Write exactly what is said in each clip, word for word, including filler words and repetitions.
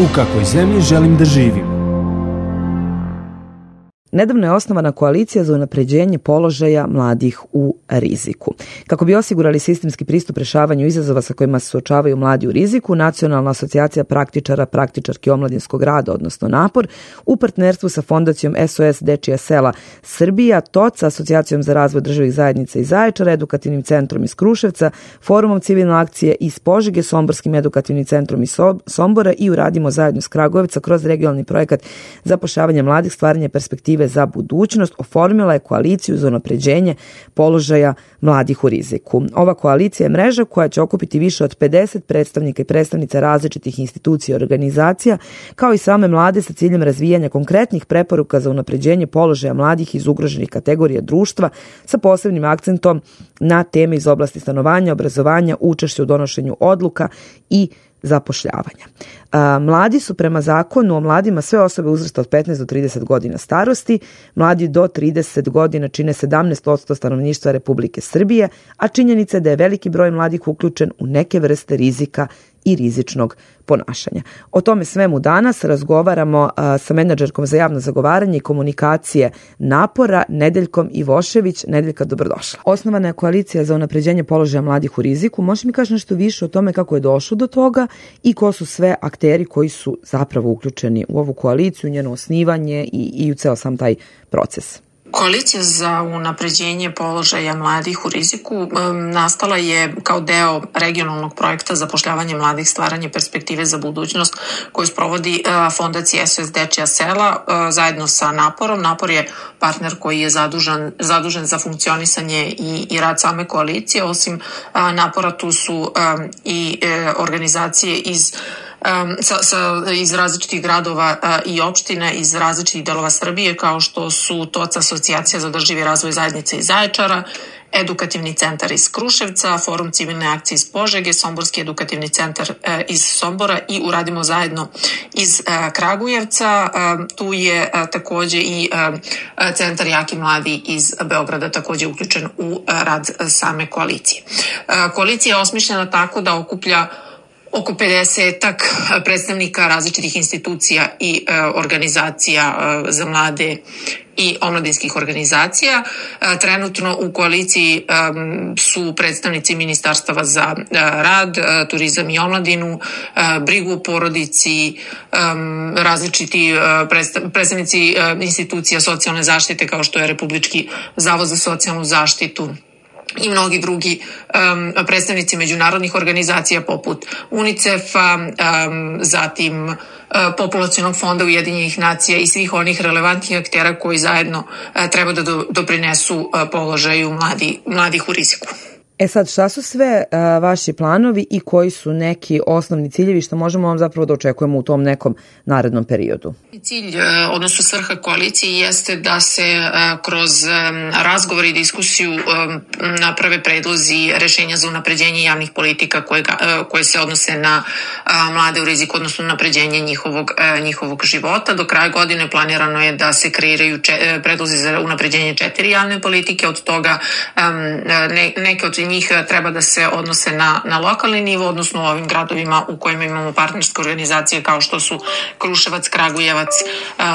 U kakvoj zemlji želim da živim? Nedavno je osnovana koalicija za unapređenje položaja mladih u riziku. Kako bi osigurali sistemski pristup rešavanju izazova sa kojima se suočavaju mladi u riziku, Nacionalna asocijacija praktičara, praktičarki omladinskog rada, odnosno NAPOR, u partnerstvu sa fondacijom S O S Dečija sela Srbija, T O C, Asocijacijom za razvoj državnih zajednica iz Zaječara, Edukativnim centrom iz Kruševca, Forumom civilne akcije iz Požege, Somborskim edukativnim centrom iz Sombora i Uradimo zajedno s Kragujevca kroz regionalni projekat zapošljavanja mladih, stvaranje perspektive za budućnost, oformila je koaliciju za unapređenje položaja mladih u riziku. Ova koalicija je mreža koja će okupiti više od pedeset predstavnika i predstavnica različitih institucija i organizacija, kao i same mlade sa ciljem razvijanja konkretnih preporuka za unapređenje položaja mladih iz ugroženih kategorija društva sa posebnim akcentom na teme iz oblasti stanovanja, obrazovanja, učešća u donošenju odluka i zapošljavanja. Mladi su prema zakonu o mladima sve osobe uzrasta od petnaest do trideset godina starosti. Mladi do trideset godina čine sedamnaest posto stanovništva Republike Srbije, a činjenica je da je veliki broj mladih uključen u neke vrste rizika i rizičnog ponašanja. O tome svemu danas razgovaramo a, sa menadžerkom za javno zagovaranje i komunikacije Napora, Nedeljkom Ivošević. Nedeljka, dobrodošla. Osnovana je koalicija za unapređenje položaja mladih u riziku. Možeš mi kaži nešto više o tome kako je došlo do toga i ko su sve akteri koji su zapravo uključeni u ovu koaliciju, njeno osnivanje i, i u ceo sam taj proces? Koalicija za unapređenje položaja mladih u riziku um, nastala je kao deo regionalnog projekta zapošljavanje mladih, stvaranje perspektive za budućnost koju sprovodi uh, fondacija S O S Dečija sela uh, zajedno sa Naporom. Napor je partner koji je zadužen, zadužen za funkcionisanje i, i rad same koalicije. Osim uh, Napora tu su um, i uh, organizacije iz Um, sa, sa, iz različitih gradova uh, i opština, iz različitih delova Srbije, kao što su T O C, Asocijacija za održivi razvoj zajednice iz Zaječara, Edukativni centar iz Kruševca, Forum civilne akcije iz Požege, Somborski edukativni centar uh, iz Sombora i Uradimo zajedno iz uh, Kragujevca. Uh, tu je uh, takođe i uh, centar Jaki mladi iz Beograda takođe uključen u uh, rad same koalicije. Uh, koalicija je osmišljena tako da okuplja oko pedesetak predstavnika različitih institucija i e, organizacija e, za mlade i omladinskih organizacija. E, trenutno u koaliciji e, su predstavnici ministarstava za e, rad, e, turizam i omladinu, e, brigu o porodici, e, različiti e, predstav, predstavnici e, institucija socijalne zaštite kao što je Republički zavod za socijalnu zaštitu i mnogi drugi um, predstavnici međunarodnih organizacija poput UNICEF-a, um, zatim uh, Populacionog fonda Ujedinjenih nacija i svih onih relevantnih aktera koji zajedno uh, treba da do, doprinesu uh, položaju mladi, mladih u riziku. E sad, šta su sve uh, vaši planovi i koji su neki osnovni ciljevi što možemo vam zapravo da očekujemo u tom nekom narednom periodu? Cilj, odnosno svrha koalicije jeste da se uh, kroz um, razgovor i diskusiju um, naprave predlozi rešenja za unapređenje javnih politika koje, uh, koje se odnose na uh, mlade u riziku, odnosno unapređenje njihovog, uh, njihovog života. Do kraja godine planirano je da se kreiraju če, predlozi za unapređenje četiri javne politike, od toga um, ne, neke od njih treba da se odnose na, na lokalni nivo, odnosno u ovim gradovima u kojima imamo partnerske organizacije kao što su Kruševac, Kragujevac,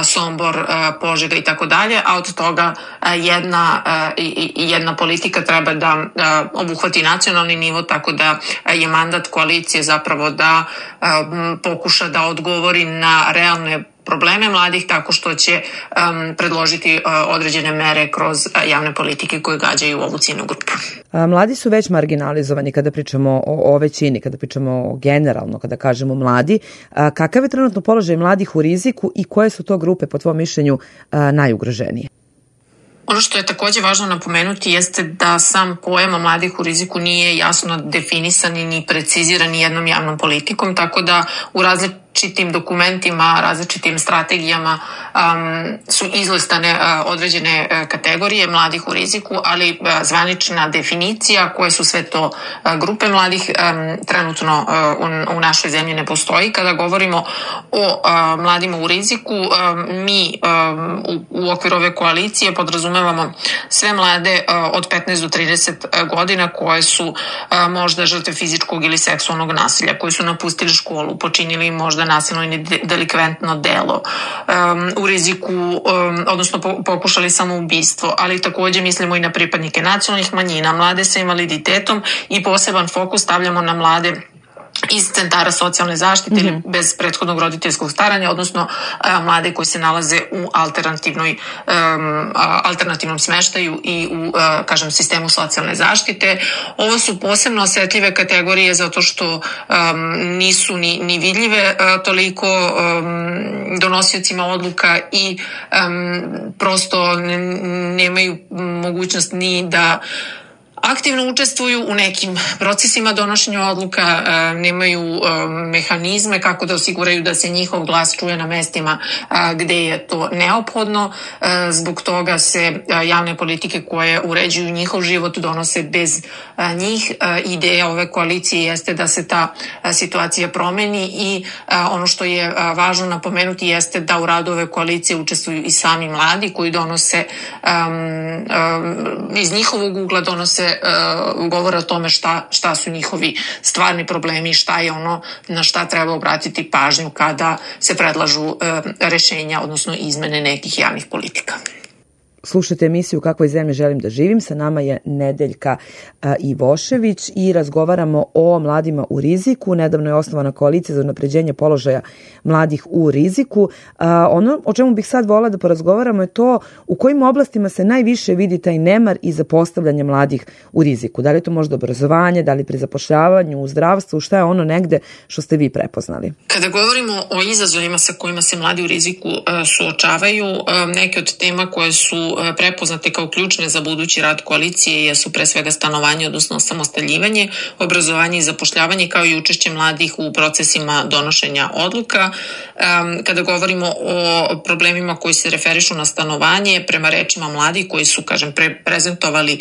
Sombor, Požega i tako dalje, a od toga jedna, jedna politika treba da obuhvati nacionalni nivo, tako da je mandat koalicije zapravo da pokuša da odgovori na realne probleme mladih tako što će um, predložiti uh, određene mere kroz uh, javne politike koje gađaju ovu ciljnu grupu. A, mladi su već marginalizovani kada pričamo o, o većini, kada pričamo o generalno, kada kažemo mladi. A, kakav je trenutno položaj mladih u riziku i koje su to grupe po tvojom mišljenju a, najugroženije? Ono što je takođe važno napomenuti jeste da sam pojam mladih u riziku nije jasno definisan i ni preciziran ni jednom javnom politikom, tako da u različitim dokumentima, različitim strategijama um, su izlistane uh, određene uh, kategorije mladih u riziku, ali uh, zvanična definicija koje su sve to uh, grupe mladih um, trenutno uh, u, u našoj zemlji ne postoji. Kada govorimo o uh, mladima u riziku, um, mi um, u, u okviru ove koalicije podrazumevamo sve mlade uh, od petnaest do trideset godina koje su uh, možda žrtve fizičkog ili seksualnog nasilja, koji su napustili školu, počinili možda možda nasilno ili delikventno delo, um, u riziku, um, odnosno po, pokušali samoubistvo, ali takođe mislimo i na pripadnike nacionalnih manjina, mlade sa invaliditetom i poseban fokus stavljamo na mlade iz centara socijalne zaštite mm-hmm. ili bez prethodnog roditeljskog staranja, odnosno a, mlade koji se nalaze u alternativnoj, um, a, alternativnom smeštaju i u, a, kažem, sistemu socijalne zaštite. Ovo su posebno osetljive kategorije zato što um, nisu ni, ni vidljive a, toliko um, donosiocima odluka i um, prosto nemaju mogućnost ni da aktivno učestvuju u nekim procesima donošenja odluka, nemaju mehanizme kako da osiguraju da se njihov glas čuje na mestima gde je to neophodno. Zbog toga se javne politike koje uređuju njihov život donose bez njih. Ideja ove koalicije jeste da se ta situacija promeni i ono što je važno napomenuti jeste da u radu ove koalicije učestvuju i sami mladi koji donose iz njihovog ugla donose govore o tome šta, šta su njihovi stvarni problemi, šta je ono na šta treba obratiti pažnju kada se predlažu rešenja, odnosno izmene nekih javnih politika. Slušajte emisiju U kakvoj zemlji želim da živim. Sa nama je Nedeljka a, Ivošević i razgovaramo o mladima u riziku. Nedavno je osnovana koalicija za unapređenje položaja mladih u riziku. A, ono o čemu bih sad volila da porazgovaramo je to u kojim oblastima se najviše vidi taj nemar i zapostavljanje mladih u riziku. Da li je to možda obrazovanje, da li pri zapošljavanju, u zdravstvu, šta je ono negde što ste vi prepoznali? Kada govorimo o izazovima sa kojima se mladi u riziku a, suočavaju, a, neke od tema koje su prepoznate kao ključne za budući rad koalicije jesu pre svega stanovanje, odnosno osamostaljivanje, obrazovanje i zapošljavanje, kao i učešće mladih u procesima donošenja odluka. Kada govorimo o problemima koji se referišu na stanovanje, prema rečima mladih koji su, kažem, pre- prezentovali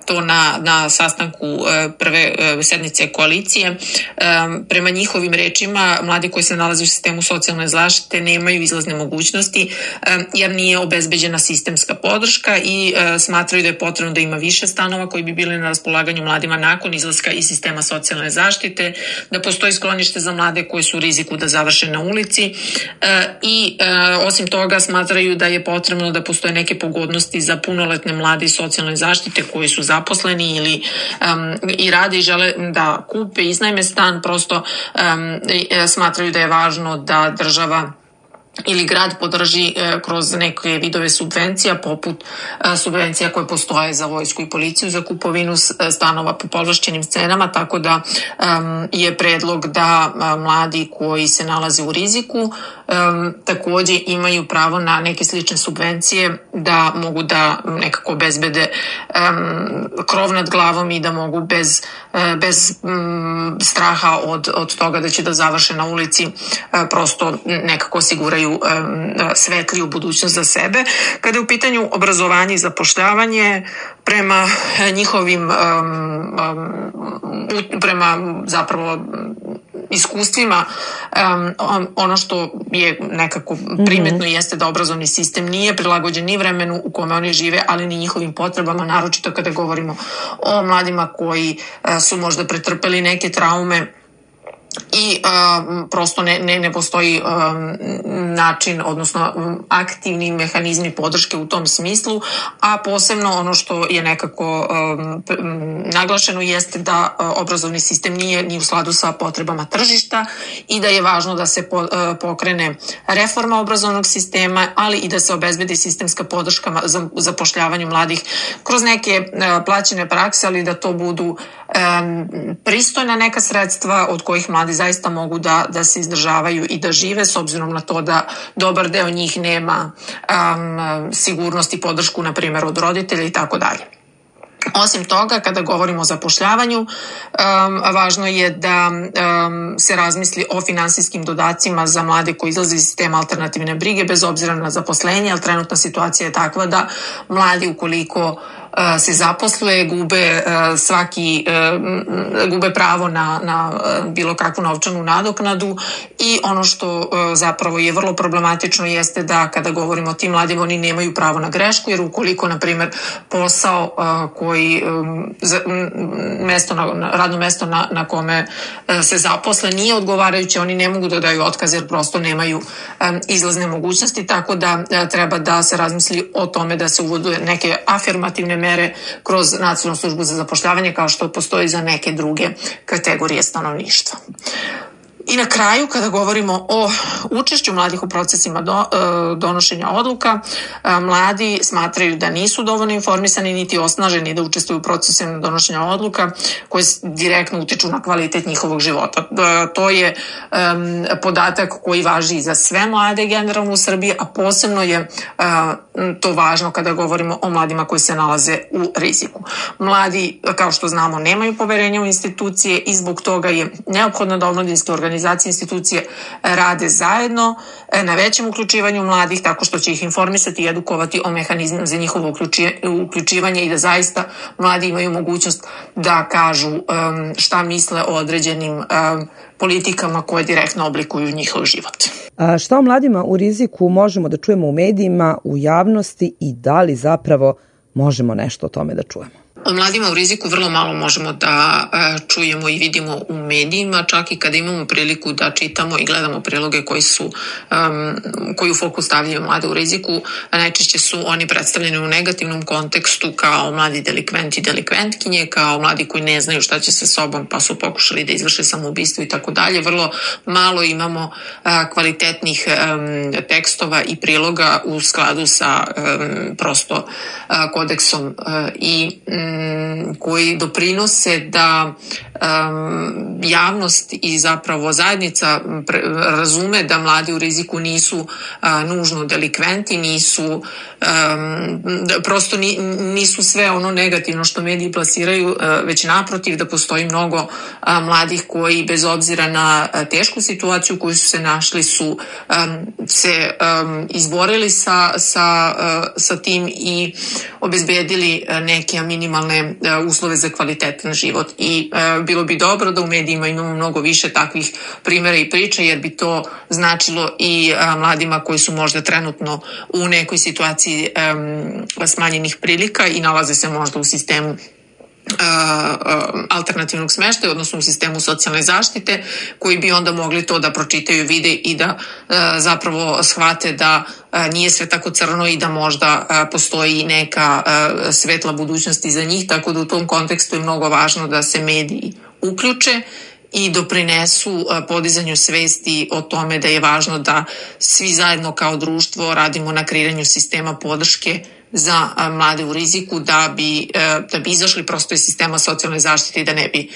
to na, na sastanku prve sednice koalicije, prema njihovim rečima, mladi koji se nalaze u sistemu socijalne zaštite nemaju izlazne mogućnosti jer nije obezbeđena sistemska podrška i e, smatraju da je potrebno da ima više stanova koji bi bili na raspolaganju mladima nakon izlaska iz sistema socijalne zaštite, da postoji sklonište za mlade koji su u riziku da završe na ulici e, i e, osim toga smatraju da je potrebno da postoje neke pogodnosti za punoletne mlade iz socijalne zaštite koji su zaposleni ili um, i rade i žele da kupe, iznajme stan, prosto um, e, smatraju da je važno da država ili grad podrži e, kroz neke vidove subvencija, poput e, subvencija koje postoje za vojsku i policiju za kupovinu stanova po povlašćenim cenama, tako da e, je predlog da e, mladi koji se nalaze u riziku e, takođe imaju pravo na neke slične subvencije, da mogu da nekako obezbede e, krov nad glavom i da mogu bez, e, bez m, straha od, od toga da će da završe na ulici e, prosto nekako osiguraju svetliju budućnost za sebe. Kada je u pitanju obrazovanje i zapošljavanje, prema njihovim um, um, prema zapravo iskustvima, um, ono što je nekako primetno mm-hmm. jeste da obrazovni sistem nije prilagođen ni vremenu u kome oni žive, ali ni njihovim potrebama, naročito kada govorimo o mladima koji uh, su možda pretrpeli neke traume i um, prosto ne, ne, ne postoji um, način, odnosno um, aktivni mehanizmi podrške u tom smislu, a posebno ono što je nekako um, naglašeno jeste da uh, obrazovni sistem nije ni u skladu sa potrebama tržišta i da je važno da se po, uh, pokrene reforma obrazovnog sistema, ali i da se obezbedi sistemska podrška za zapošljavanju mladih kroz neke uh, plaćene prakse, ali da to budu um, pristojna neka sredstva od kojih mladi zaista mogu da, da se izdržavaju i da žive, s obzirom na to da dobar deo njih nema um, sigurnost i podršku, na primjer, od roditelja i tako dalje. Osim toga, kada govorimo o zapošljavanju, um, važno je da um, se razmisli o finansijskim dodacima za mlade koji izlaze iz sistema alternativne brige, bez obzira na zaposlenje, ali trenutna situacija je takva da mladi, ukoliko se zaposle, gube svaki, gube pravo na, na bilo kakvu novčanu nadoknadu i ono što zapravo je vrlo problematično jeste da kada govorimo o tim mladima oni nemaju pravo na grešku, jer ukoliko na primjer posao koji mesto na, radno mesto na, na kome se zaposle nije odgovarajuće, oni ne mogu da daju otkaz jer prosto nemaju izlazne mogućnosti, tako da treba da se razmisli o tome da se uvode neke afirmativne mere kroz Nacionalnu službu za zapošljavanje kao što postoji za neke druge kategorije stanovništva. I na kraju, kada govorimo o učešću mladih u procesima do, donošenja odluka, mladi smatraju da nisu dovoljno informisani niti osnaženi da učestvuju u procesima donošenja odluka koje direktno utiču na kvalitet njihovog života. To je um, podatak koji važi i za sve mlade generalno u Srbiji, a posebno je uh, to važno kada govorimo o mladima koji se nalaze u riziku. Mladi, kao što znamo, nemaju poverenja u institucije i zbog toga je neophodno da omladinske organizacije organizacije, institucije rade zajedno na većem uključivanju mladih tako što će ih informisati i edukovati o mehanizmima za njihovo uključivanje i da zaista mladi imaju mogućnost da kažu šta misle o određenim politikama koje direktno oblikuju njihov život. A šta o mladima u riziku možemo da čujemo u medijima, u javnosti i da li zapravo možemo nešto o tome da čujemo? O mladima u riziku vrlo malo možemo da čujemo i vidimo u medijima, čak i kada imamo priliku da čitamo i gledamo priloge koji su, um, koji u fokus stavljaju mlade u riziku. Najčešće su oni predstavljeni u negativnom kontekstu kao mladi delikventi i delikventkinje, kao mladi koji ne znaju šta će sa sobom pa su pokušali da izvrše samoubistvo i tako dalje. Vrlo malo imamo uh, kvalitetnih um, tekstova i priloga u skladu sa um, prosto uh, kodeksom uh, i um, koji doprinose da um, javnost i zapravo zajednica pre, razume da mladi u riziku nisu uh, nužno delikventi, nisu um, da prosto ni, nisu sve ono negativno što mediji plasiraju, uh, već naprotiv da postoji mnogo uh, mladih koji bez obzira na uh, tešku situaciju koju su se našli su um, se um, izborili sa, sa, uh, sa tim i obezbedili uh, neke minimalne uslove za kvalitetan život i e, bilo bi dobro da u medijima imamo mnogo više takvih primjera i priča jer bi to značilo i a, mladima koji su možda trenutno u nekoj situaciji e, smanjenih prilika i nalaze se možda u sistemu alternativnog smeštaja, odnosno u sistemu socijalne zaštite, koji bi onda mogli to da pročitaju, vide i da zapravo shvate da nije sve tako crno i da možda postoji neka svetla budućnost za njih, tako da u tom kontekstu je mnogo važno da se mediji uključe i doprinesu podizanju svesti o tome da je važno da svi zajedno kao društvo radimo na kreiranju sistema podrške za mlade u riziku da bi, da bi izašli prosto iz sistema socijalne zaštite i da ne bi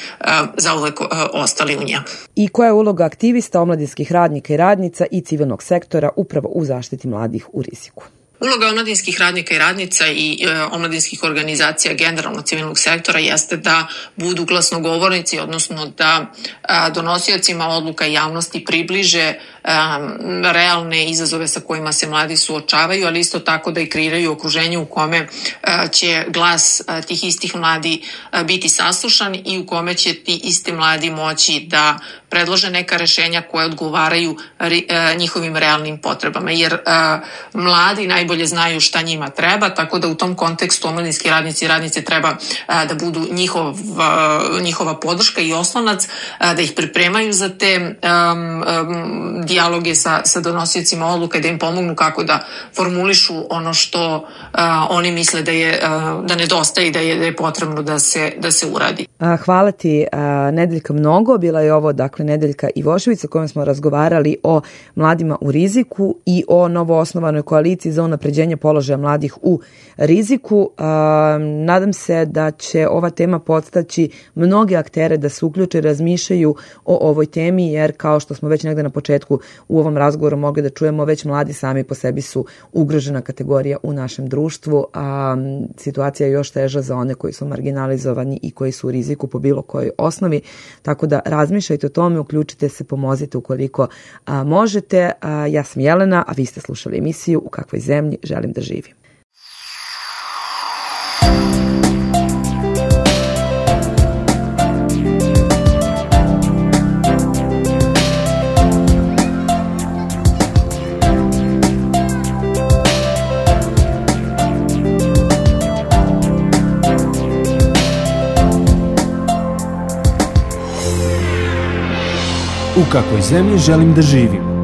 zauvek ostali u njemu. I koja je uloga aktivista, omladinskih radnika i radnica i civilnog sektora upravo u zaštiti mladih u riziku? Uloga omladinskih radnika i radnica i e, omladinskih organizacija generalno civilnog sektora jeste da budu glasnogovornici, odnosno da a, donosiocima odluka javnosti približe a, realne izazove sa kojima se mladi suočavaju, ali isto tako da i kreiraju okruženje u kome a, će glas a, tih istih mladi a, biti saslušan i u kome će ti isti mladi moći da predlože neka rešenja koje odgovaraju ri, a, njihovim realnim potrebama, jer a, mladi najbolje znaju šta njima treba, tako da u tom kontekstu omladinski radnici i radnice treba a, da budu njihov, a, njihova podrška i oslonac, a, da ih pripremaju za te a, a, dijaloge sa, sa donosiocima odluka i da im pomognu kako da formulišu ono što a, oni misle da je a, da nedostaje i da je, da je potrebno da se, da se uradi. Hvala ti, Nedeljka, mnogo. Bila je ovo, dakle, Nedeljka Ivošević, o kojom smo razgovarali o mladima u riziku i o novoosnovanoj koaliciji za unapređenje položaja mladih u riziku. Nadam se da će ova tema podstaći mnoge aktere da se uključe i razmišljaju o ovoj temi, jer kao što smo već negde na početku u ovom razgovoru mogli da čujemo, već mladi sami po sebi su ugrožena kategorija u našem društvu, a situacija je još teža za one koji su marginalizovani i koji su u riziku po bilo kojoj osnovi. Tako da razmišljajte o tome, uključite se, pomozite ukoliko a, možete. A, ja sam Jelena, a vi ste slušali emisiju U kakvoj zemlji želim da živim. U kakvoj zemlji želim da živim?